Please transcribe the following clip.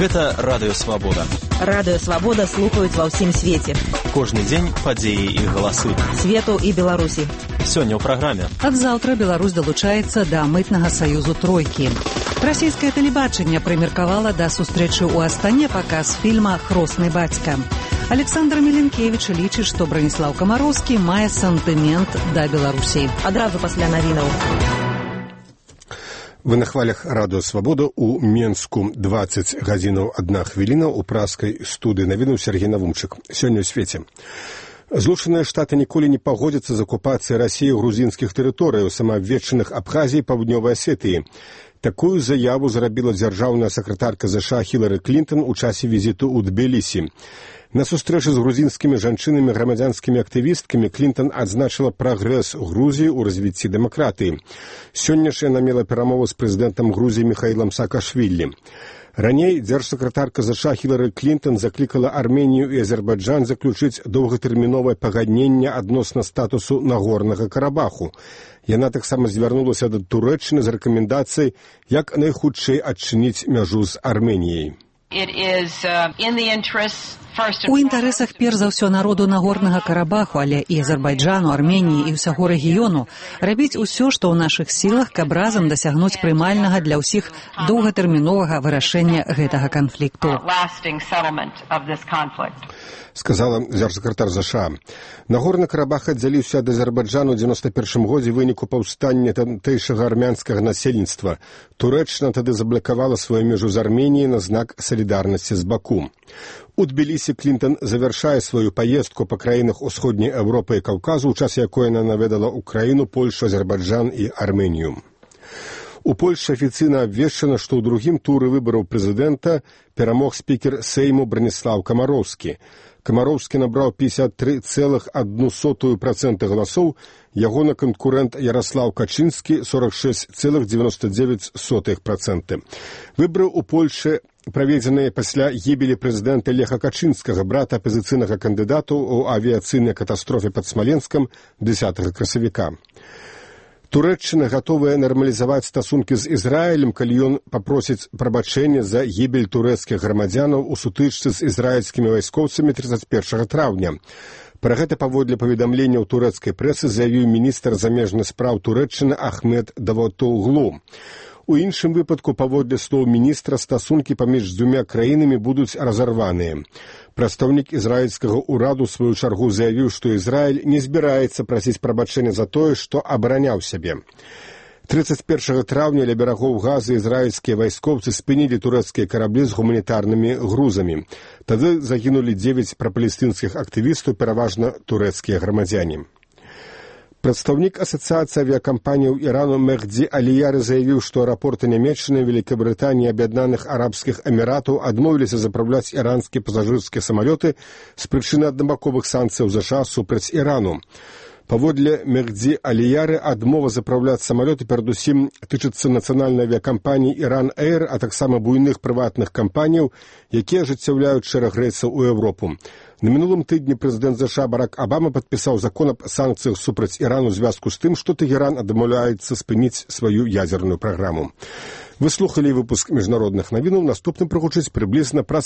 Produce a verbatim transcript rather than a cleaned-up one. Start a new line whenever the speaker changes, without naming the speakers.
Гэта Радыё Свабода.
Радыё Свабода слухаюць ва ўсім свеце.
Кожны дзень падзеі і галасы.
Свету і Беларусі.
Сёння ў праграме.
Ад заўтра Беларусь далучаецца да мытнага саюзу тройкі. Расійскае тэлебачанне прымеркавала да сустрэчы ў Астане паказ фільма «Хросны бацька». Александр Міленкевіч лічыць, што Браніслаў Камароўскі мае сантымент да Беларусі.
Адразу пасля навінаў.
Вы на хвалях Радыё Свабода у Менску дваццаць гадзінаў адна хвіліна ў праскай студыі навінуў Сергей Навумчык. Сёння ў свеце. Злучаныя Штаты ніколі не пагодзяцца з акупацыяй Расіі грузінскіх тэрыторыяў, самаабвешчаных Абхазіі і Паўднёвай Асетыі. Такую заяву зрабіла дзяржаўная сакратарка ЗША Хілары Клінтон у часе візіту ў Тбілісі. На сустрэчы з грузінскімі жанчынамі грамадзянскімі актывісткамі Клінтон адзначыла прагрэс Грузіі ў развіцці дэмакратыі. Сёння ж яна мела перамову з прэзідэнтам Грузіі Міхаілам Саакашвілі. Раней дзяржсакратарка ЗША Хілары Клінтон заклікала Арменію і Азербайджан заключыць доўгатэрміновае пагадненне адносна статусу Нагорнага Карабаху. Яна таксама звярнулася да Турэччыны з рэкамендацыяй, як найхутчэй адчыніць мяжу з Арменіяй.
У інтарэсах перш за ўсё народу Нагорнага Карабаху, але і Азербайджану, Арменіі і ўсяго рэгіёну рабіць усё, што ў нашых сілах, каб разам дасягнуць прымальнага для ўсіх доўгатэрміновага вырашэння гэтага канфлікту.
Сказала дзяржсакратар ЗША. Нагорны Карабах аддзяліўся ад Азербайджану ў дзевяносто першым годзе выніку паўстання тамтэйшага армянскага насельніцтва. Турэччына тады заблакавала сваю межу з Арменіяй на знак салідарнасці з Баку. У Тбілісі Клінтон завяршае сваю паездку па краінах Усходняй Еўропы і Каўказу, у час якой яна наведала Украіну, Польшу, Азербайджан і Арменію. У Польшы афіцыйна абвешчана, што ў другім туры выбараў прэзідэнта перамог спікер Сейму Браніслаў Камароўскі. Камароўскі набраў пятьдесят три целых одна сотая процента галасоў, ягоны канкурэнт Ярослаў Качынскі сорок шесть целых девяносто девять сотых процента. Выбары ў Польшы праведзеныя пасля гібелі прэзідэнта Леха Качынскага, брата апазіцыйнага кандыдату ў авіяцыйнай катастрофе пад Смаленскам дзесятага красавіка. Турэччына гатовая нармалізаваць стасункі з Ізраілем, калі ён папросіць прабачэння за гібель турэцкіх грамадзянаў у сутычцы з ізраільскімі вайскоўцамі тридцать первого траўня. Пра гэта паводле паведамленняў турэцкай прэсы заявіў міністр замежных спраў Турэччыны Ахмед Давутоглу. У іншым выпадку, паводле слоў міністра, стасункі паміж дзвюма краінамі будуць разарваныя. Прадстаўнік ізраільскага ўраду ў сваю чаргу заявіў, што Ізраіль не збіраецца прасіць прабачэння за тое, што абараняў сябе. тридцать первого траўня ля берагоў Газы ізраільскія вайскоўцы спынілі турэцкія караблі з гуманітарнымі грузамі. Тады загінулі дзевяць прапалестынскіх актывістаў, пераважна турэцкія грамадзяне. Прадстаўнік асацыяцыі авіякампаніяў Ірану Мехді Аліяры заявіў, што аэрапорты Нямецчыны, Великабрытаніі і Аб'яднаных Арабскіх Эміратаў адмовіліся запраўляць іранскія пасажырскія самалёты з прычыны аднабаковых санкцыяў ЗША супраць Ірану. Паводле Мехді Аліяры, адмова запраўляць самалёты перадусім тычыцца нацыянальнай авіякампаніі Иран Эйр, а таксама буйных прыватных кампаніяў, якія ажыццяўляюць шэраг рэйсаў у Еўропу. На мінулым тыдні прэзідэнт ЗША Барак Абама падпісаў закон аб санкцыях супраць Ірану ў звязку з тым, што Тэгеран адмаўляецца спыніць сваю ядзерную праграму. Вы слухалі выпуск міжнародных навінаў, наступным прагучыць прыблізна праз